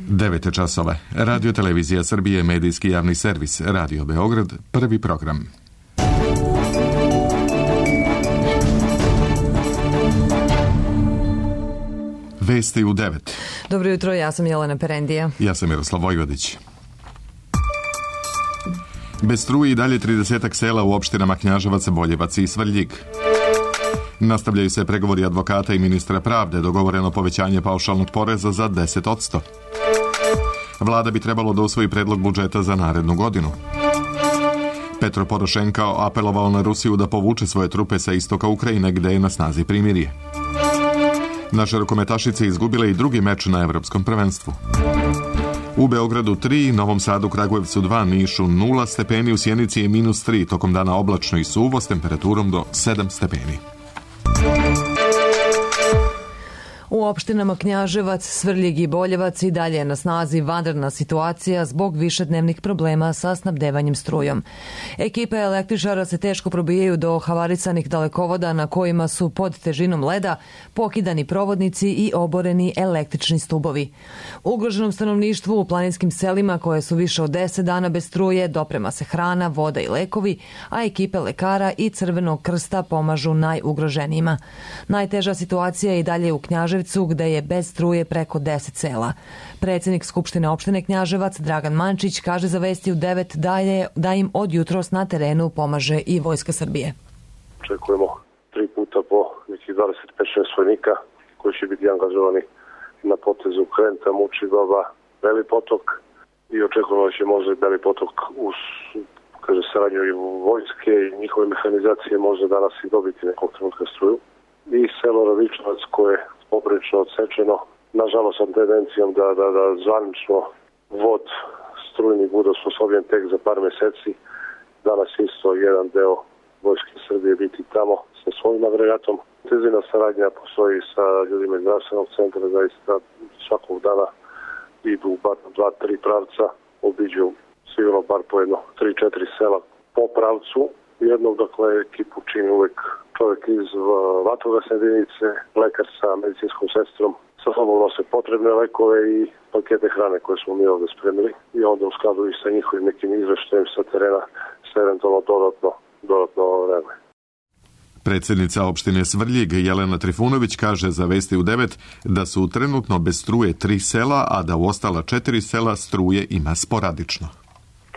9 časova. Radio Televizija Srbije, medijski javni servis, Radio Beograd, prvi program. Vesti u 9. Dobro jutro, ja sam Jelena Perendija. Ja sam Miroslav Vojvodić. Bez struje i dalje 30 sela u opštinama Knjaževac, Boljevac i Svrljig. Nastavljaju se pregovori advokata i ministra pravde, dogovoreno povećanje paušalnog poreza za 10%. Vlada bi trebalo da usvoji predlog budžeta za narednu godinu. Petro Porošenko apelovao na Rusiju da povuče svoje trupe sa istoka Ukrajine, gde je na snazi primirje. Naše rukometašice izgubile i drugi meč na evropskom prvenstvu. U Beogradu 3, Novom Sadu, Kragujevcu 2, Nišu 0 stepeni, u Sjenici je -3, tokom dana oblačno i suvo s temperaturom do 7 stepeni. U opštinama Knjaževac, Svrljig i Boljevac i dalje je na snazi vanredna situacija zbog višednevnih problema sa snabdevanjem strujom. Ekipe električara se teško probijaju do havarisanih dalekovoda na kojima su pod težinom leda pokidani provodnici i oboreni električni stubovi. Ugroženom stanovništvu u planinskim selima koje su više od 10 dana bez struje doprema se hrana, voda i lekovi, a ekipe lekara i Crvenog krsta pomažu najugroženijima. Najteža situacija je i dalje u Knjaževcu, gde je bez struje preko 10 sela. Predsjednik Skupštine opštine Knjaževac Dragan Mančić kaže za Vesti u 9 da im od jutros na terenu pomaže i Vojska Srbije. Očekujemo 3 puta po nekih 25-6 vojnika koji će biti angažovani na potezu Krenta, Mučibaba, Beli potok i očekujemo da će možda i Beli potok uz saradnju i vojske i njihove mehanizacije možda danas i dobiti nekog trenutka struju. I selo Radičevac koje je poprilično odsečeno, nažalost sa tendencijom da zvanično vod strujni bude osposobljen tek za par meseci. Danas isto jedan deo Vojske Srbije biti tamo sa svojim agregatom. Intenzivna saradnja postoji sa ljudima iz zdravstvenog centra, zaista svakog dana idu bar 2-3 pravca, obiđu sigurno bar po jedno 3-4 sela po pravcu. Jednog, dakle, ekipu čini uvek čovjek iz vatrogasne jedinice, lekar sa medicinskom sestrom, sa sobom nose potrebne lekove i pakete hrane koje smo mi ovdje spremili i onda u skladu i sa njihovim nekim izveštajem sa terena se eventualno dodatno reaguje. Predsjednica opštine Svrljig Jelena Trifunović kaže za Vesti u 9 da su trenutno bez struje 3 sela, a da u ostala 4 sela struje ima sporadično.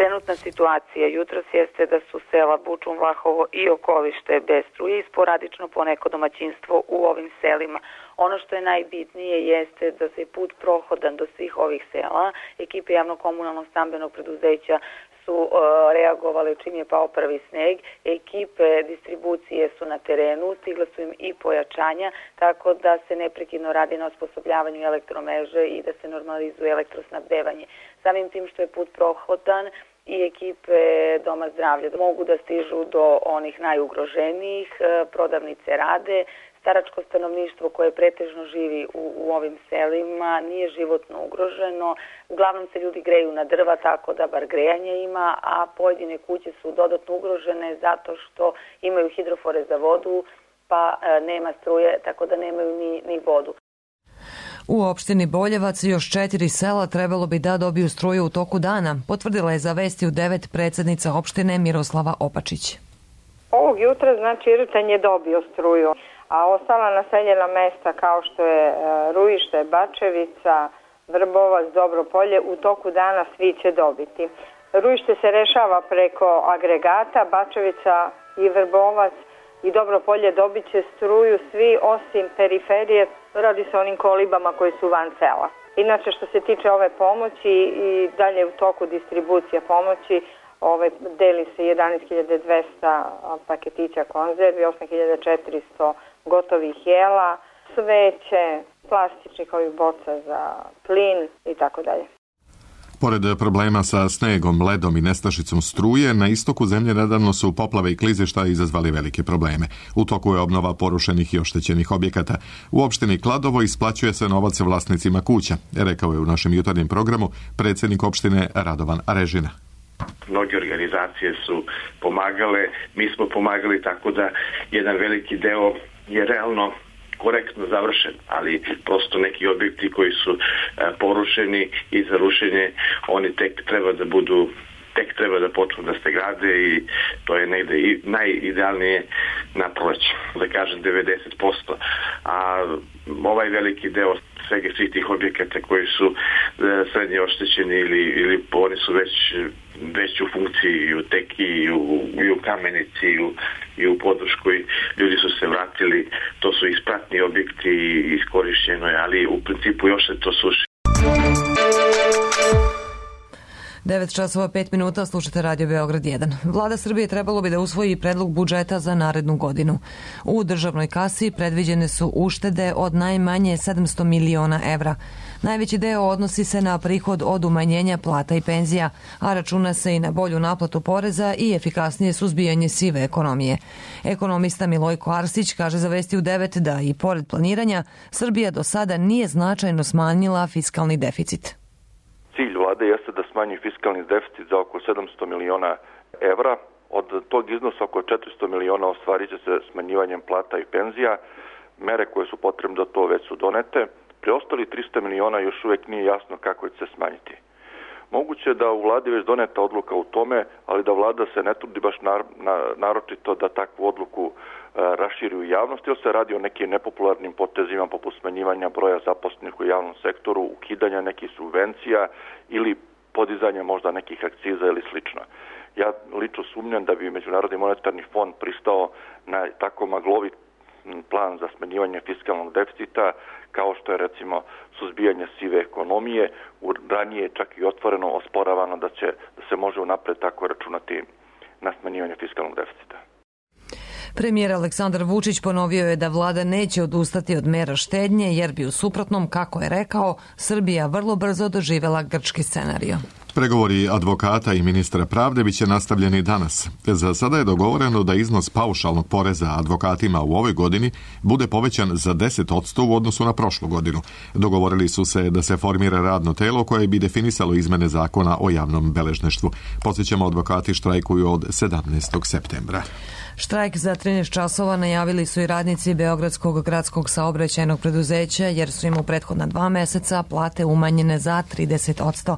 Trenutna situacija jutros jeste da su sela Bučum, Vlahovo i Okolište bez struje i sporadično poneko domaćinstvo u ovim selima. Ono što je najbitnije jeste da se put prohodan do svih ovih sela. Ekipe javno-komunalnog stambenog preduzeća su reagovali čim je pao prvi sneg. Ekipe distribucije su na terenu, stigla su im i pojačanja, tako da se neprekidno radi na osposobljavanju elektromreže i da se normalizuje elektrosnabdevanje. Samim tim što je put prohodan, i ekipe Doma zdravlja mogu da stižu do onih najugroženijih, prodavnice rade, staračko stanovništvo koje pretežno živi u ovim selima nije životno ugroženo. Uglavnom se ljudi greju na drva, tako da bar grejanje ima, a pojedine kuće su dodatno ugrožene zato što imaju hidrofore za vodu, pa nema struje, tako da nemaju ni vodu. U opštini Boljevac još 4 sela trebalo bi da dobiju struju u toku dana, potvrdila je za Vesti u 9 predsjednica opštine Miroslava Opačić. Ovog jutra znači Irten je dobio struju, a ostala naseljena mesta kao što je Rujište, Bačevica, Vrbovac, Dobropolje u toku dana svi će dobiti. Rujište se rešava preko agregata, Bačevica i Vrbovac i Dobropolje dobit će struju svi osim periferije, radi se o onim kolibama koji su van sela. Inače što se tiče ove pomoći i dalje u toku distribucija pomoći, deli se 11.200 paketića konzervi, 8.400 gotovih jela, sveće, plastičnih ovih boca za plin i tako dalje. Pored problema sa snegom, ledom i nestašicom struje, na istoku zemlje nedavno su poplave i klizišta izazvali velike probleme. U toku je obnova porušenih i oštećenih objekata. U opštini Kladovo isplaćuje se novac vlasnicima kuća, rekao je u našem jutarnjem programu predsjednik opštine Radovan Arežina. Mnoge organizacije su pomagale, mi smo pomagali, tako da jedan veliki deo je realno korektno završen, ali prosto neki objekti koji su porušeni i za rušenje, oni tek treba da počnu da se grade i to je negde i najidealnije na proleće, da kažem 90%. A ovaj veliki deo svih tih objekata koji su srednje oštećeni ili oni su već u funkciji i u Teki i u Kamenici i u Podvrškoj, ljudi su se vratili, to su ispratni objekti i iskorišćeno je, ali u principu još se to suši. 9 časova 5 minuta, slušate Radio Beograd 1. Vlada Srbije trebalo bi da usvoji predlog budžeta za narednu godinu. U državnoj kasi predviđene su uštede od najmanje 700 miliona evra. Najveći deo odnosi se na prihod od umanjenja plata i penzija, a računa se i na bolju naplatu poreza i efikasnije suzbijanje sive ekonomije. Ekonomista Milojko Arsić kaže za Vesti u 9 da i pored planiranja Srbija do sada nije značajno smanjila fiskalni deficit. Cilj vlade jeste da smanji fiskalni deficit za oko 700 miliona evra. Od tog iznosa oko 400 miliona ostvarit će se smanjivanjem plata i penzija. Mere koje su potrebne da to već su donete. Preostali 300 miliona još uvijek nije jasno kako će se smanjiti. Moguće je da u vladi već doneta odluka u tome, ali da vlada se ne trudi baš naročito da takvu odluku raširi u javnosti, jer se radi o nekim nepopularnim potezima poput smanjivanja broja zaposlenih u javnom sektoru, ukidanja nekih subvencija ili podizanja možda nekih akciza ili slično. Ja lično sumnjam da bi Međunarodni monetarni fond pristao na tako maglovit plan za smanjivanje fiskalnog deficita, kao što je recimo suzbijanje sive ekonomije. Ranije je čak i otvoreno osporavano da se može unapred tako računati na smanjivanje fiskalnog deficita. Premijer Aleksandar Vučić ponovio je da vlada neće odustati od mera štednje, jer bi u suprotnom, kako je rekao, Srbija vrlo brzo doživela grčki scenario. Pregovori advokata i ministra pravde biće nastavljeni danas. Za sada je dogovoreno da iznos paušalnog poreza advokatima u ovoj godini bude povećan za 10% u odnosu na prošlu godinu. Dogovorili su se da se formira radno telo koje bi definisalo izmene zakona o javnom beležništvu. Podsjećamo, advokati štrajkuju od 17. septembra. Štrajk za 13 časova najavili su i radnici Beogradskog gradskog saobraćajnog preduzeća, jer su im u prethodna 2 meseca plate umanjene za 30%.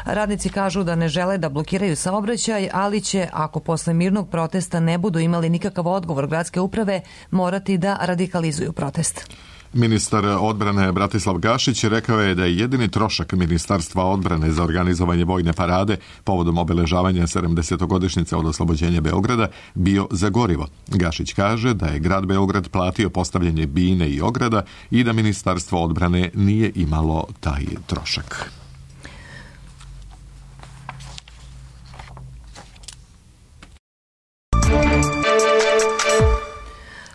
Radnici kažu da ne žele da blokiraju saobraćaj, ali će, ako posle mirnog protesta ne budu imali nikakav odgovor gradske uprave, morati da radikalizuju protest. Ministar odbrane Bratislav Gašić rekao je da je jedini trošak Ministarstva odbrane za organizovanje vojne parade povodom obeležavanja 70-godišnjice od oslobođenja Beograda bio za gorivo. Gašić kaže da je grad Beograd platio postavljanje bine i ograda i da Ministarstvo odbrane nije imalo taj trošak.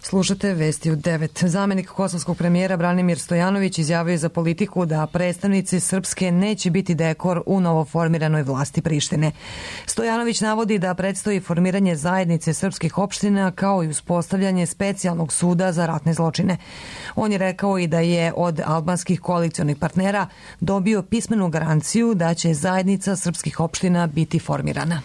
Slušate Vesti u 9. Zamenik kosovskog premijera Branimir Stojanović izjavio je za Politiku da predstavnici Srpske neće biti dekor u novoformiranoj vlasti Prištine. Stojanović navodi da predstoji formiranje zajednice srpskih opština kao i uspostavljanje specijalnog suda za ratne zločine. On je rekao i da je od albanskih koalicionih partnera dobio pismenu garanciju da će zajednica srpskih opština biti formirana.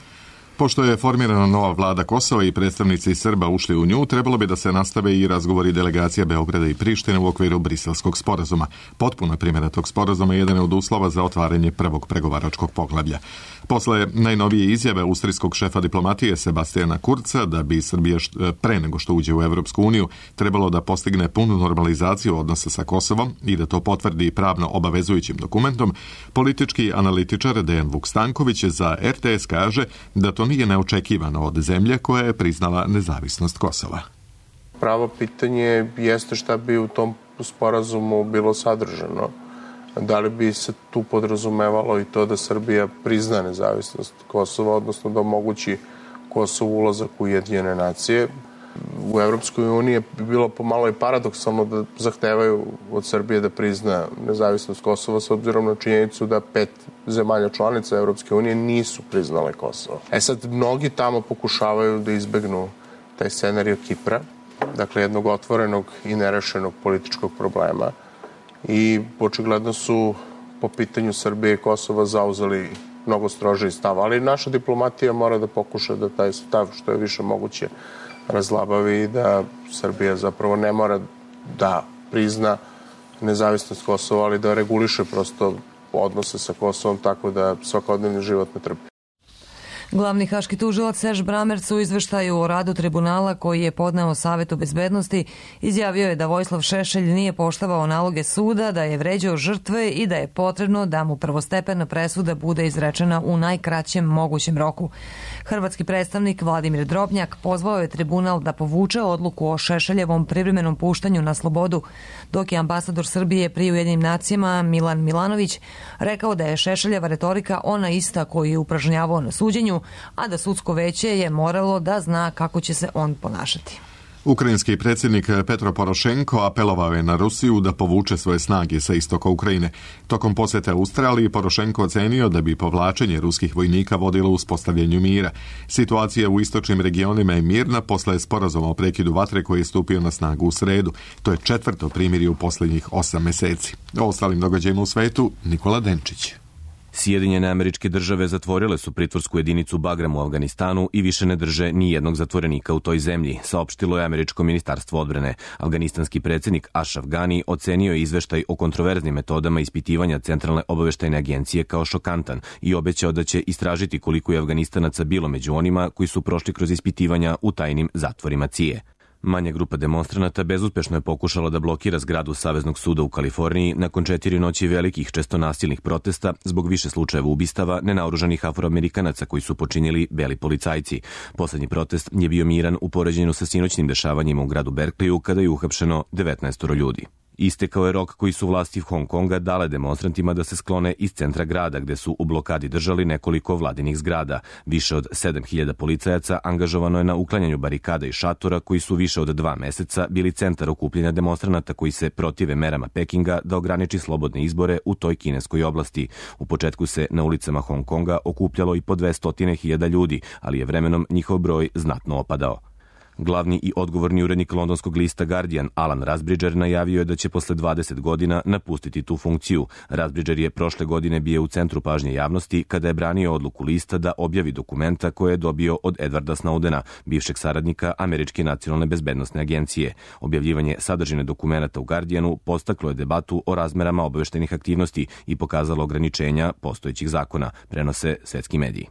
Pošto je formirana nova vlada Kosova i predstavnici Srba ušli u nju, trebalo bi da se nastave i razgovori delegacija Beograda i Prištine u okviru Briselskog sporazuma. Potpuna primjena tog sporazuma je jedan od uslova za otvaranje prvog pregovaračkog poglavlja. Posle najnovije izjave austrijskog šefa diplomatije Sebastijana Kurca da bi Srbija pre nego što uđe u Evropsku uniju trebalo da postigne punu normalizaciju odnosa sa Kosovom i da to potvrdi pravno obavezujućim dokumentom, politički analitičar Dejan Vuk Stanković za RTS kaže da to nije neočekivano od zemlje koja je priznala nezavisnost Kosova. Pravo pitanje jeste šta bi u tom sporazumu bilo sadržano. Da li bi se tu podrazumevalo i to da Srbija prizna nezavisnost Kosova, odnosno da omogući Kosovu ulazak u Ujedinjene nacije. U Evropskoj uniji bi bilo pomalo i paradoksalno da zahtevaju od Srbije da prizna nezavisnost Kosova s obzirom na činjenicu da 5 zemalja članica Evropske unije nisu priznale Kosovo. Sad, mnogi tamo pokušavaju da izbegnu taj scenario Kipra, dakle jednog otvorenog i nerešenog političkog problema, i očigledno su po pitanju Srbije i Kosova zauzeli mnogo strožiji stav, ali naša diplomatija mora da pokuša da taj stav što je više moguće razlabavi i da Srbija zapravo ne mora da prizna nezavisnost Kosova, ali da reguliše prosto odnose sa Kosovom tako da svakodnevni život ne trpi. Glavni haški tužilac Serge Brammertz u izveštaju o radu tribunala koji je podneo Savetu bezbednosti izjavio je da Vojislav Šešelj nije poštovao naloge suda, da je vređao žrtve i da je potrebno da mu prvostepena presuda bude izrečena u najkraćem mogućem roku. Hrvatski predstavnik Vladimir Drobnjak pozvao je tribunal da povuče odluku o Šešeljevom privremenom puštanju na slobodu, dok je ambasador Srbije pri Ujedinjenim nacijama Milan Milanović rekao da je Šešeljeva retorika ona ista koju je upražnjavao na suđenju, a da sudsko veće je moralo da zna kako će se on ponašati. Ukrajinski predsjednik Petro Porošenko apelovao je na Rusiju da povuče svoje snage sa istoka Ukrajine. Tokom posjete Australiji Porošenko ocenio da bi povlačenje ruskih vojnika vodilo uspostavljanju mira. Situacija u istočnim regionima je mirna posle sporazuma o prekidu vatre koji je stupio na snagu u sredu. To je 4. primirje u posljednjih 8 meseci. O ostalim događajima u svetu Nikola Denčić. Sjedinjene Američke Države zatvorile su pritvorsku jedinicu Bagram u Afganistanu i više ne drže ni jednog zatvorenika u toj zemlji, saopštilo je Američko ministarstvo odbrane. Afganistanski predsjednik Ashraf Ghani ocenio je izveštaj o kontroverznim metodama ispitivanja Centralne obaveštajne agencije kao šokantan i obećao da će istražiti koliko je Afganistanaca bilo među onima koji su prošli kroz ispitivanja u tajnim zatvorima CIA. Manja grupa demonstranata bezuspešno je pokušala da blokira zgradu Saveznog suda u Kaliforniji nakon 4 noći velikih, često nasilnih protesta zbog više slučajeva ubistava nenaoružanih Afroamerikanaca koji su počinili beli policajci. Poslednji protest je bio miran u poređenju sa sinoćnim dešavanjima u gradu Berkeleyu kada je uhapšeno 19 ljudi. Istekao je rok koji su vlasti Hong Konga dale demonstrantima da se sklone iz centra grada, gde su u blokadi držali nekoliko vladinih zgrada. Više od 7000 policajaca angažovano je na uklanjanju barikada i šatora koji su više od 2 meseca bili centar okupljenja demonstranata koji se protive merama Pekinga da ograniči slobodne izbore u toj kineskoj oblasti. U početku se na ulicama Hong Konga okupljalo i po 200.000 ljudi, ali je vremenom njihov broj znatno opadao. Glavni i odgovorni urednik londonskog lista Guardian, Alan Rusbridger, najavio je da će posle 20 godina napustiti tu funkciju. Rusbridger je prošle godine bio u centru pažnje javnosti kada je branio odluku lista da objavi dokumenta koje je dobio od Edwarda Snowdena, bivšeg saradnika Američke nacionalne bezbednosne agencije. Objavljivanje sadržine dokumenata u Guardianu postaklo je debatu o razmerama obaveštajnih aktivnosti i pokazalo ograničenja postojećih zakona, prenose svetski mediji.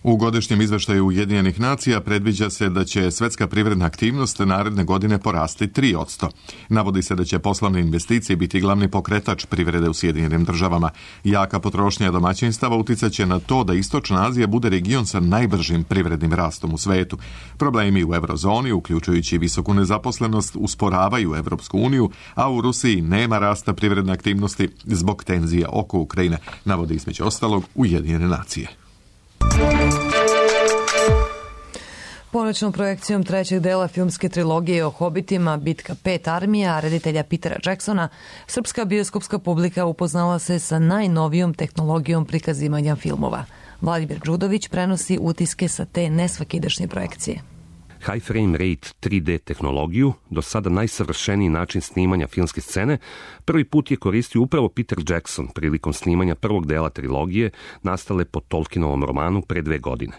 U godišnjem izveštaju Ujedinjenih nacija predviđa se da će svetska privredna aktivnost naredne godine porasti 3%. Navodi se da će poslovne investicije biti glavni pokretač privrede u Sjedinjenim državama. Jaka potrošnja domaćinstava uticaće na to da Istočna Azija bude region sa najbržim privrednim rastom u svetu. Problemi u eurozoni, uključujući visoku nezaposlenost, usporavaju Evropsku uniju, a u Rusiji nema rasta privredne aktivnosti zbog tenzija oko Ukrajine, navodi između ostalog Ujedinjene nacije. Ponoćnom projekcijom trećeg dela filmske trilogije o Hobitima Bitka 5 armija reditelja Petera Jacksona, srpska bioskopska publika upoznala se sa najnovijom tehnologijom prikazivanja filmova. Vladimir Đudović prenosi utiske sa te nesvakidašnje projekcije. High frame rate 3D tehnologiju, do sada najsavršeniji način snimanja filmske scene, prvi put je koristio upravo Peter Jackson prilikom snimanja prvog dela trilogije nastale po Tolkienovom romanu pre 2 godine.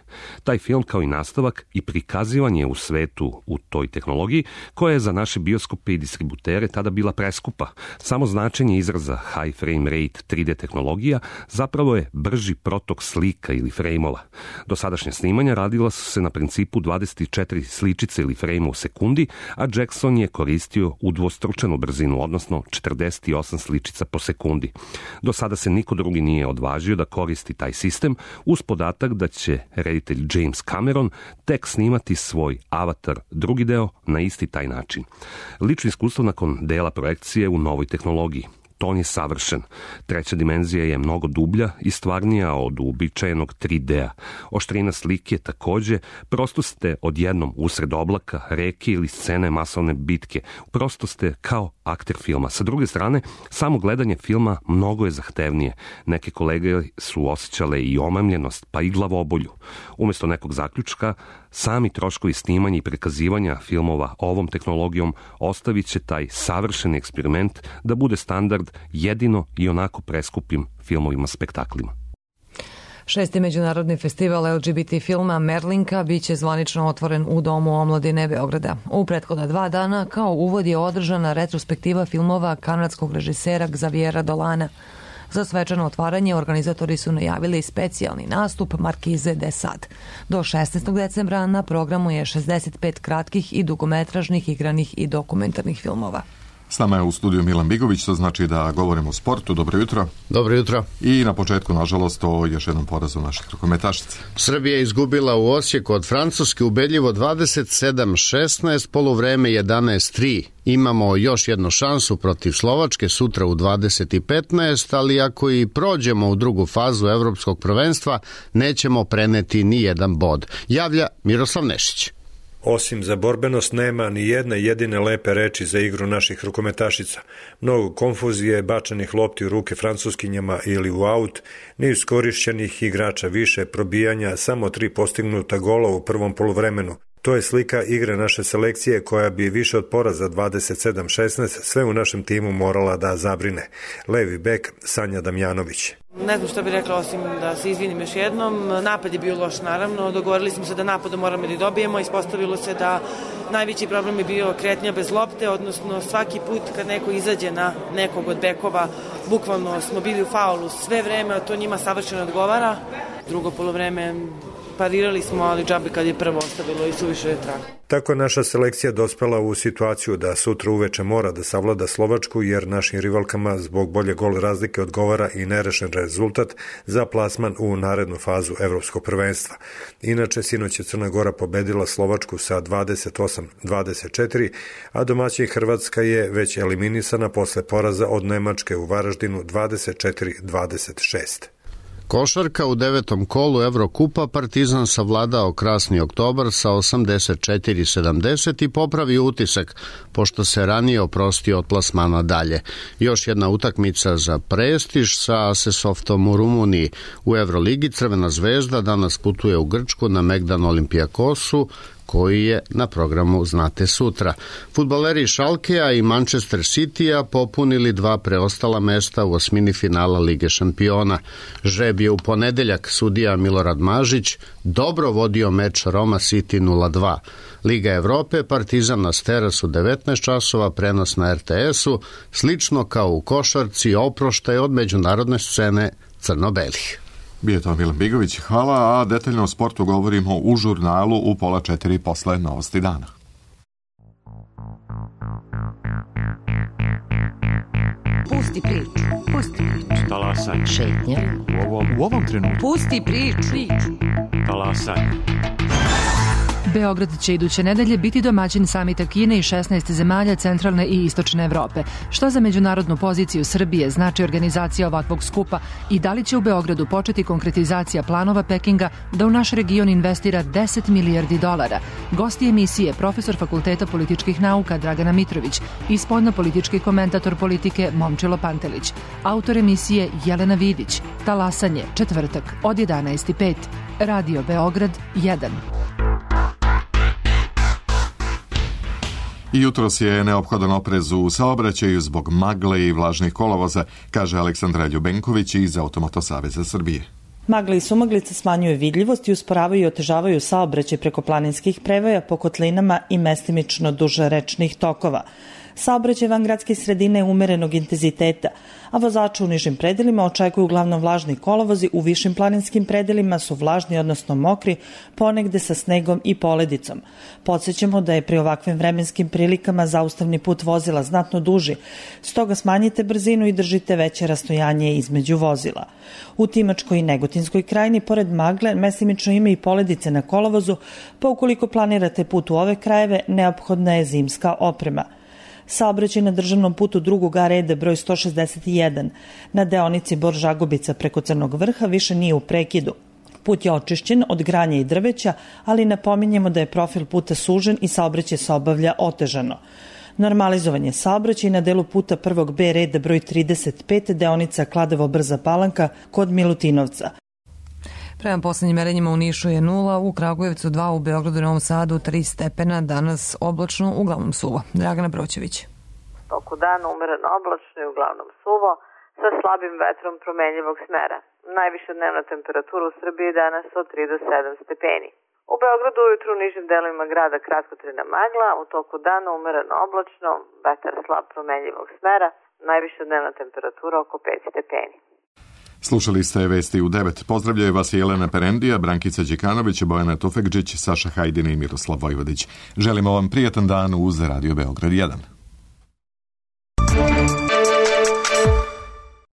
Taj film kao i nastavak i prikazivanje u svetu u toj tehnologiji, koja je za naše bioskope i distributere tada bila preskupa. Samo značenje izraza high frame rate 3D tehnologija zapravo je brži protok slika ili frejmova. Do sadašnje snimanja radila su se na principu 24 sličice ili frejma u sekundi, a Jackson je koristio udvostručenu brzinu, odnosno 48 sličica po sekundi. Do sada se niko drugi nije odvažio da koristi taj sistem, uz podatak da će reditelj James Cameron tek snimati svoj Avatar drugi deo na isti taj način. Lično iskustvo nakon dela projekcije u novoj tehnologiji. Ton je savršen. Treća dimenzija je mnogo dublja i stvarnija od uobičajenog 3D-a. Oštrina slike takođe, prosto ste odjednom usred oblaka, reke ili scene masovne bitke. Prosto ste kao akter filma. Sa druge strane, samo gledanje filma mnogo je zahtevnije. Neke kolege su osjećale i omamljenost, pa i glavobolju. Umesto nekog zaključka, sami troškovi snimanja i prikazivanja filmova ovom tehnologijom ostavit će taj savršeni eksperiment da bude standard jedino i onako preskupim filmovima spektaklima. 6. međunarodni festival LGBT filma Merlinka biće zvanično otvoren u Domu omladine Beograda. U prethodna 2 dana kao uvod je održana retrospektiva filmova kanadskog režisera Xaviera Dolana. Za svečano otvaranje organizatori su najavili specijalni nastup Markize de Sade. Do 16. decembra na programu je 65 kratkih i dugometražnih igranih i dokumentarnih filmova. S nama je u studiju Milan Bigović, to znači da govorimo o sportu. Dobro jutro. Dobro jutro. I na početku, nažalost, o još jednom porazu naših rukometašica. Srbija je izgubila u Osijeku od Francuske ubedljivo 27-16, poluvreme 11-3. Imamo još jednu šansu protiv Slovačke sutra u 20:15, ali ako i prođemo u drugu fazu evropskog prvenstva, nećemo preneti ni jedan bod. Javlja Miroslav Nešić. Osim za borbenost nema ni jedne jedine lepe reči za igru naših rukometašica. Mnogo konfuzije, bačanih lopti u ruke francuskinjama ili u aut, neiskorišćenih igrača više, probijanja, samo 3 postignuta gola u prvom poluvremenu. To je slika igre naše selekcije koja bi više od poraza 27-16 sve u našem timu morala da zabrine. Levi bek Sanja Damjanović. Ne znam što bih rekla osim da se izvinim još jednom. Napad je bio loš naravno, dogovorili smo se da napadom moramo da dobijemo, ispostavilo se da najveći problem je bio kretnja bez lopte, odnosno svaki put kad neko izađe na nekog od bekova, bukvalno smo bili u faulu sve vreme, a to njima savršeno odgovara. Drugo poluvreme parirali smo, ali džabe kad je prvo ostavilo i suviše je trag. Tako je naša selekcija dospela u situaciju da sutra uveče mora da savlada Slovačku, jer našim rivalkama zbog bolje gol razlike odgovara i nerešen rezultat za plasman u narednu fazu evropskog prvenstva. Inače, sinoć je Crna Gora pobedila Slovačku sa 28-24, a domaćin Hrvatska je već eliminisana posle poraza od Nemačke u Varaždinu 24-26. Košarka u 9. kolu Evrokupa Partizan savladao Krasni Oktobar sa 84-70 i popravio utisak, pošto se ranije oprostio od plasmana dalje. Još jedna utakmica za prestiž sa Asesoftom u Rumuniji. U Evroligi Crvena zvezda danas putuje u Grčku na Megdan Olimpijakosu, koji je na programu znate sutra. Fudbaleri Schalkea i Manchester Citya popunili 2 preostala mesta u osmini finala Lige šampiona. Žreb je u ponedeljak, sudija Milorad Mažić dobro vodio meč Roma City 0-2. Liga Evrope, Partizan nas teras u 19 časova, prenos na RTS-u, slično kao u košarci, oproštaj od međunarodne scene crno-belih. Bio je to Milan Bigović, hvala, a detaljno o sportu govorimo u žurnalu u 3:30 posle novosti dana. Pusti priču. Talasaj. Šetnja. U ovom trenutku. Pusti priču. Talasaj. Beograd će iduće nedelje biti domaćin samita Kine i 16 zemalja centralne i istočne Evrope. Što za međunarodnu poziciju Srbije znači organizacija ovakvog skupa i da li će u Beogradu početi konkretizacija planova Pekinga da u naš region investira $10 milijardi? Gosti emisije profesor Fakulteta političkih nauka Dragana Mitrović i spoljnopolitički komentator politike Momčilo Pantelić. Autor emisije Jelena Vidić. Talasanje, četvrtak od 11:05. Radio Beograd 1. Jutros je neophodan oprez u saobraćaju zbog magle i vlažnih kolovoza, kaže Aleksandra Ljubenković iz Automoto saveza Srbije. Magle i sumaglice smanjuju vidljivost i usporavaju i otežavaju saobraćaj preko planinskih prevoja po kotlinama i mestimično duže rečnih tokova. Saobraćaj van gradske sredine je umerenog intenziteta, a vozače u nižim predelima očekuju uglavnom vlažni kolovozi, u višim planinskim predelima su vlažni, odnosno mokri, ponegde sa snegom i poledicom. Podsjećamo da je pri ovakvim vremenskim prilikama zaustavni put vozila znatno duži, stoga smanjite brzinu i držite veće rastojanje između vozila. U Timočkoj i Negotinskoj krajini, pored magle, mestimično ima i poledice na kolovozu, pa ukoliko planirate put u ove krajeve, neophodna je zimska oprema. Saobraćaj na državnom putu drugog A reda broj 161 na deonici Bor-Žagubica preko Crnog Vrha više nije u prekidu. Put je očišćen od granja i drveća, ali napominjemo da je profil puta sužen i saobraćaj se obavlja otežano. Normalizovan je saobraćaj na delu puta prvog B reda broj 35 deonica Kladovo-Brza Palanka kod Milutinovca. Prema poslednjim merenjima u Nišu je 0, u Kragujevcu 2, u Beogradu i Novom Sadu 3 stepena, danas oblačno, uglavnom suvo. Dragana Broćević. Toku dana umereno oblačno i uglavnom suvo, sa slabim vetrom promenljivog smera. Najviša dnevna temperatura u Srbiji danas od 3 do 7 stepeni. U Beogradu ujutru u nižim delovima grada kratkotrajna magla, u toku dana umereno oblačno, vetar slab promenljivog smera, najviša dnevna temperatura oko 5 stepeni. Slušali ste vesti u 9. Pozdravljaju vas Jelena Perendija, Brankica Đekanović, Bojana Tufekđić, Saša Hajdin i Miroslav Vojvodić. Želimo vam prijatan dan uz Radio Beograd 1.